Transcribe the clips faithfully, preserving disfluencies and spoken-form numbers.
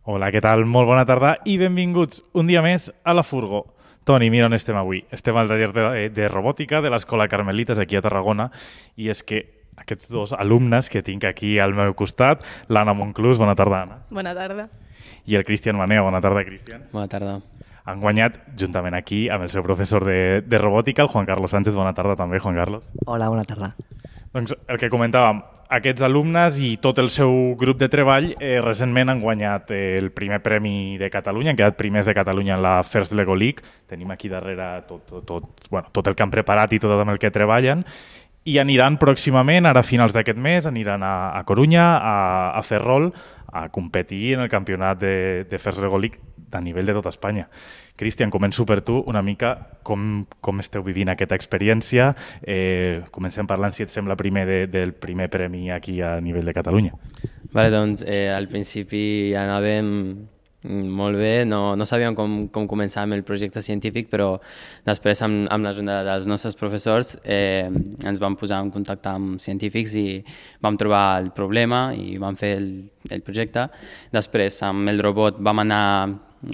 Hola, què tal? Molt bona tarda i benvinguts un dia més a la Furgo. Toni, mira on estem avui. Estem al taller de, de robòtica de l'Escola Carmelites aquí a Tarragona i és que aquests dos alumnes que tinc aquí al meu costat, l'Anna Monclús, bona tarda, Anna. Bona tarda. I el Cristian Maneo, bona tarda, Cristian. Bona tarda. Han guanyat juntament aquí amb el seu professor de, de robòtica, el Juan Carlos Sánchez. Bona tarda també, Juan Carlos. Hola, bona tarda. Doncs el que comentàvem, aquests alumnes i tot el seu grup de treball eh, recentment han guanyat eh, el primer premi de Catalunya, han quedat primers de Catalunya en la First Lego League. Tenim aquí darrere tot, tot, tot, bueno, tot el que han preparat i tot amb el que treballen. I aniran pròximament, ara a finals d'aquest mes, aniran a, a Corunya, a, a Ferrol, a competir en el campionat de, de First Lego League a nivell de tota Espanya. Cristian, començo per tu una mica com, com esteu vivint aquesta experiència. Eh, comencem parlant, si et sembla, primer de, del primer premi aquí a nivell de Catalunya. Vale, doncs eh, al principi anàvem molt bé, no, no sabíem com, com començar amb el projecte científic, però després amb, amb l'ajuda dels nostres professors eh, ens vam posar en contacte amb científics i vam trobar el problema i vam fer el, el projecte. Després amb el robot vam anar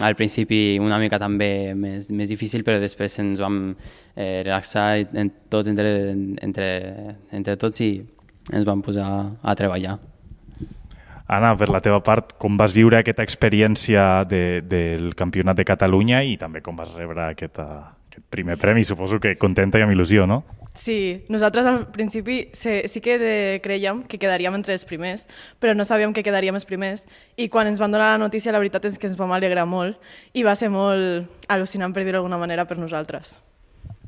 al principi una mica també més, més difícil, però després ens vam eh, relaxar en, tots entre, entre, entre tots i ens vam posar a treballar. Anna, per la teva part, com vas viure aquesta experiència de, del Campionat de Catalunya i també com vas rebre aquest, aquest primer premi? Suposo que contenta i amb il·lusió, no? Sí, nosaltres al principi sí, sí que de, creiem que quedaríem entre els primers, però no sabíem que quedaríem els primers i quan ens van donar la notícia la veritat és que ens vam alegrar molt i va ser molt al·lucinant, per dir-ho d'alguna manera, per nosaltres.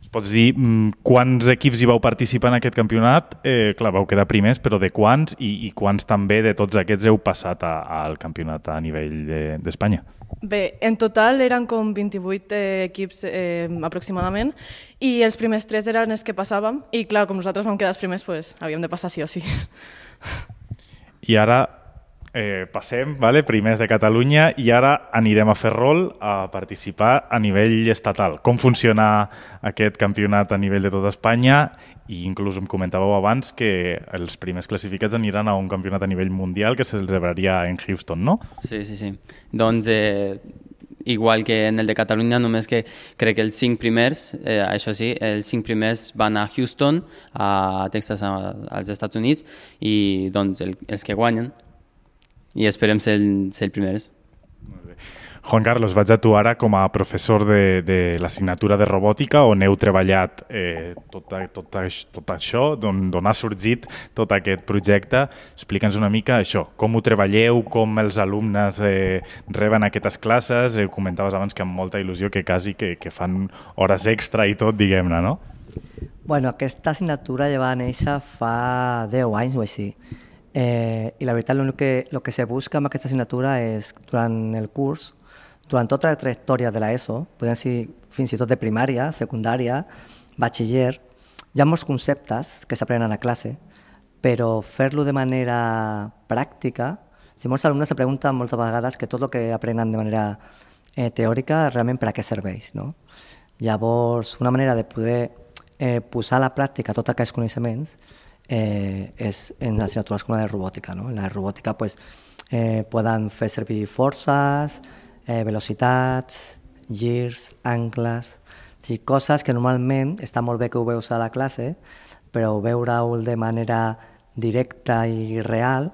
Es pots dir quants equips hi vau participar en aquest campionat? Eh, clar, vau quedar primers, però de quants i, i quants també de tots aquests heu passat a, al campionat a nivell d'Espanya? De, Bé, en total eren com vint-i-vuit eh, equips eh, aproximadament i els primers tres eren els que passàvem i clar, com nosaltres vam quedar els primers, pues, havíem de passar sí o sí. I ara eh, passem, vale, primers de Catalunya, i ara anirem a Ferrol a participar a nivell estatal. Com funciona aquest campionat a nivell de tota Espanya? I inclús em comentàveu abans que els primers classificats aniran a un campionat a nivell mundial que se celebraria en Houston, no? Sí, sí, sí. Doncs eh, igual que en el de Catalunya, només que crec que els cinc primers, eh, això sí, els cinc primers van a Houston, a Texas, a, als Estats Units, i doncs el, els que guanyen. I esperem ser, ser primers. Molt bé. Juan Carlos, vaig a tu ara com a professor de, de l'assignatura de robòtica on heu treballat eh, tot, tot, tot això, d'on ha sorgit tot aquest projecte. Explica'ns una mica això, com ho treballeu, com els alumnes eh, reben aquestes classes. Eh, comentaves abans que amb molta il·lusió que quasi que, que fan hores extra i tot, diguem-ne, no? Bueno, aquesta assignatura ja va néixer fa deu anys o així. Eh, I la veritat, el que, lo que se busca amb aquesta assignatura és, durant el curs, durant tota la trajectòria de l'ESO, podem dir fins i tot de primària, secundària, batxiller, hi ha molts conceptes que s'aprenen a classe, però fer-lo de manera pràctica, si molts alumnes se pregunten moltes vegades que tot el que aprenen de manera eh, teòrica realment per a què serveix, no? Llavors, una manera de poder eh, posar a la pràctica tots aquests coneixements eh, és en assignatures com la de robòtica, no? En la robòtica pues, eh, poden fer servir forces, Eh, velocitats, girs, angles, sí, coses que normalment està molt bé que ho veus a la classe, però veure-ho de manera directa i real,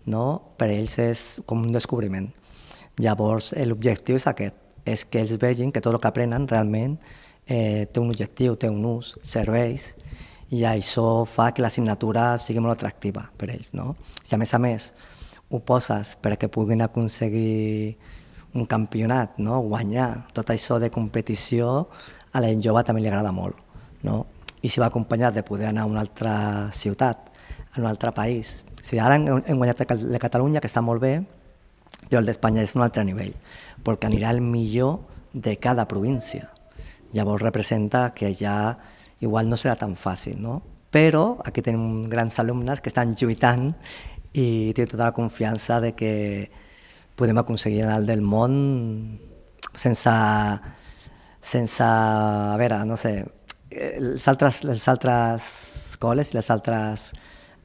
no? Per ells és com un descobriment. Llavors, l'objectiu és aquest, és que ells vegin que tot el que aprenen realment eh, té un objectiu, té un ús, serveix, i això fa que l'assignatura sigui molt atractiva per ells, no? Si a més a més ho poses perquè puguin aconseguir un campionat, no? Guanyar tot això de competició, a la gent jove també li agrada molt, no? I si va acompanyat de poder anar a una altra ciutat, a un altre país. Si ara hem guanyat el de Catalunya, que està molt bé, però el d'Espanya és un altre nivell, perquè anirà el millor de cada província. Llavors representa que ja igual no serà tan fàcil, no? Però aquí tenim grans alumnes que estan lluitant i tenen tota la confiança de que podem aconseguir el del món sense, sense, a veure, no sé, els altres, les altres escoles i les altres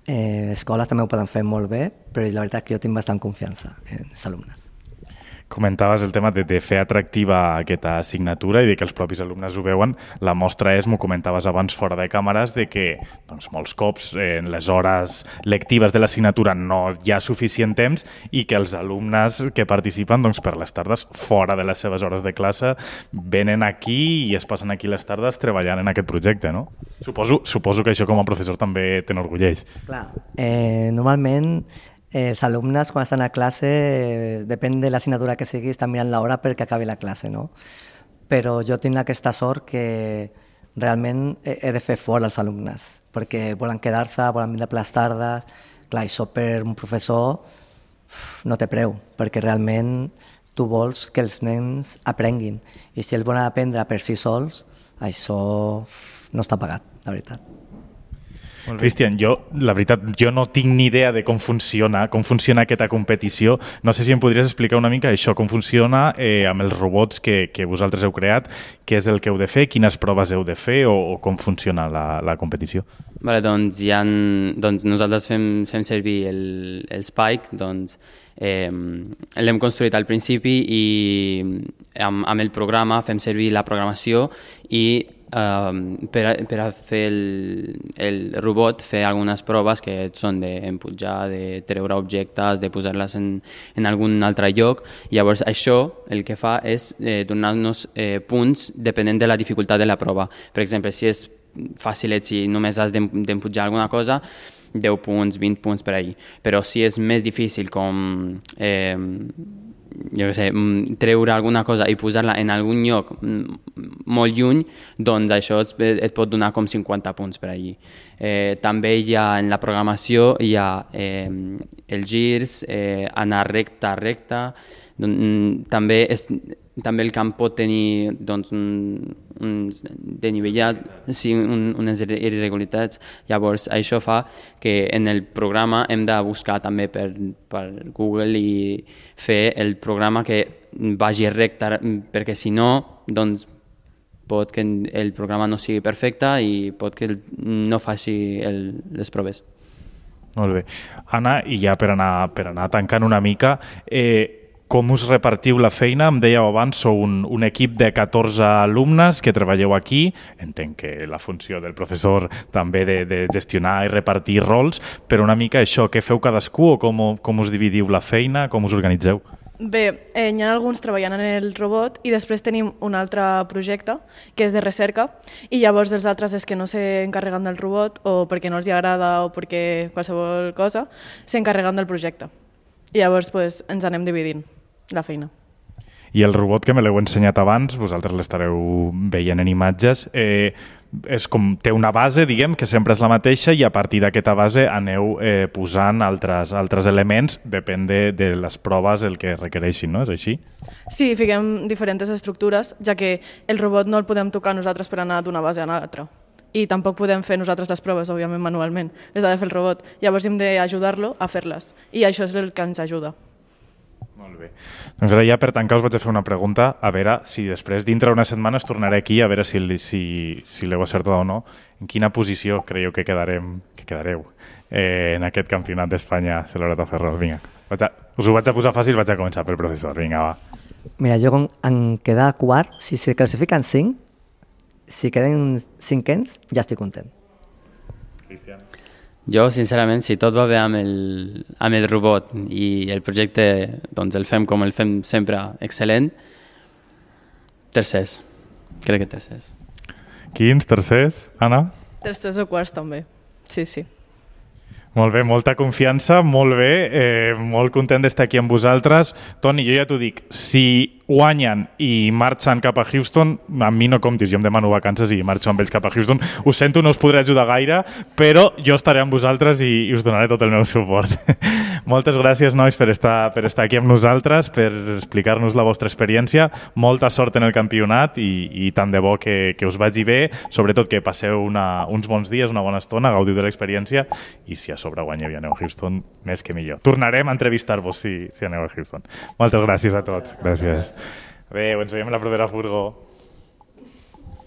eh, escoles també ho poden fer molt bé, però la veritat és que jo tinc bastant confiança en els alumnes. Comentaves el tema de, de fer atractiva aquesta assignatura i de que els propis alumnes ho veuen. La mostra és, m'ho comentaves abans fora de càmeres, de que doncs, molts cops eh, en les hores lectives de l'assignatura no hi ha suficient temps i que els alumnes que participen doncs, per les tardes, fora de les seves hores de classe, venen aquí i es passen aquí les tardes treballant en aquest projecte, no? Suposo, suposo que això com a professor també t'enorgulleix. Clar, eh, normalment els alumnes, quan estan a classe, eh, depèn de l'assignatura que sigui, estan mirant l'hora perquè acabi la classe, no? Però jo tinc aquesta sort que realment he de fer fora els alumnes, perquè volen quedar-se, volen vindre per les tardes. Clar, això per un professor no té preu, perquè realment tu vols que els nens aprenguin. I si ells volen aprendre per si sols, això no està pagat, la veritat. Cristian, jo, la veritat, jo no tinc ni idea de com funciona, com funciona aquesta competició. No sé si em podries explicar una mica això, com funciona eh, amb els robots que, que vosaltres heu creat, què és el que heu de fer, quines proves heu de fer o, o com funciona la, la competició. Vale, doncs, ha, doncs nosaltres fem, fem servir el, el Spike, doncs eh, l'hem construït al principi i amb, amb el programa fem servir la programació i Uh, per, a, per a fer el, el robot, fer algunes proves que són d'empujar, de treure objectes, de posar-les en, en algun altre lloc. Llavors això el que fa és eh, donar-nos eh, punts depenent de la dificultat de la prova. Per exemple, si és fàcil, si només has d'empujar alguna cosa, deu punts, vint punts per ahí. Però si és més difícil com eh, jo què sé, treure alguna cosa i posar-la en algun lloc molt lluny, doncs això et pot donar com cinquanta punts per allí. Eh, també hi ha en la programació hi ha eh, els girs, eh, anar recta a recta, doncs, també, és, també el camp pot tenir doncs, un, un denivellat, sí, un, unes irregularitats. Llavors això fa que en el programa hem de buscar també per, per Google i fer el programa que vagi recte, perquè si no, doncs pot que el programa no sigui perfecte i pot que no faci el, les proves. Molt bé. Anna, i ja per anar, per anar tancant una mica, eh, com us repartiu la feina? Em dèieu abans, sou un, un equip de catorze alumnes que treballeu aquí. Entenc que la funció del professor també de, de gestionar i repartir rols, però una mica això, què feu cadascú o com, com us dividiu la feina, com us organitzeu? Bé, eh, hi ha alguns treballant en el robot i després tenim un altre projecte que és de recerca i llavors els altres és que no s'encarreguen del robot o perquè no els hi agrada o perquè qualsevol cosa s'encarreguen del projecte. I llavors pues, ens anem dividint la feina. I el robot que me l'heu ensenyat abans, vosaltres l'estareu veient en imatges, eh, és com, té una base, diguem, que sempre és la mateixa i a partir d'aquesta base aneu eh, posant altres, altres elements, depèn de, de les proves el que requereixin, no? És així? Sí, fiquem diferents estructures, ja que el robot no el podem tocar nosaltres per anar d'una base a l'altra. I tampoc podem fer nosaltres les proves, òbviament, manualment. Les ha de fer el robot. Llavors hem d'ajudar-lo a fer-les. I això és el que ens ajuda. Molt bé. Doncs ara ja per tancar us vaig a fer una pregunta, a veure si després, dintre d'una setmana, es tornaré aquí a veure si, si, si l'heu acertat o no. En quina posició creieu que, quedarem, que quedareu eh, en aquest campionat d'Espanya celebrat a Ferrol? Vinga, vaig a, us ho vaig a posar fàcil, vaig a començar pel professor. Vinga, va. Mira, jo en quedar quart, si se classifiquen cinc, si queden cinquens, ja estic content. Cristian. Jo, sincerament, si tot va bé amb el, amb el robot i el projecte doncs el fem com el fem sempre excel·lent, tercers. Crec que tercers. Quins tercers, Anna? Tercers o quarts també, sí, sí. Molt bé, molta confiança, molt bé, eh, molt content d'estar aquí amb vosaltres. Toni, jo ja t'ho dic, si guanyen i marxen cap a Houston, amb mi no comptis, jo em demano vacances i marxo amb ells cap a Houston. Ho sento, no us podré ajudar gaire, però jo estaré amb vosaltres i, i us donaré tot el meu suport. Moltes gràcies, nois, per estar, per estar aquí amb nosaltres, per explicar-nos la vostra experiència. Molta sort en el campionat i, i tant de bo que, que us vagi bé, sobretot que passeu una, uns bons dies, una bona estona, gaudiu de l'experiència i si a sobre guanyeu i aneu a Houston, més que millor. Tornarem a entrevistar-vos si, si aneu a Houston. Moltes gràcies a tots. Gràcies. Adéu, ens veiem a la propera furgó.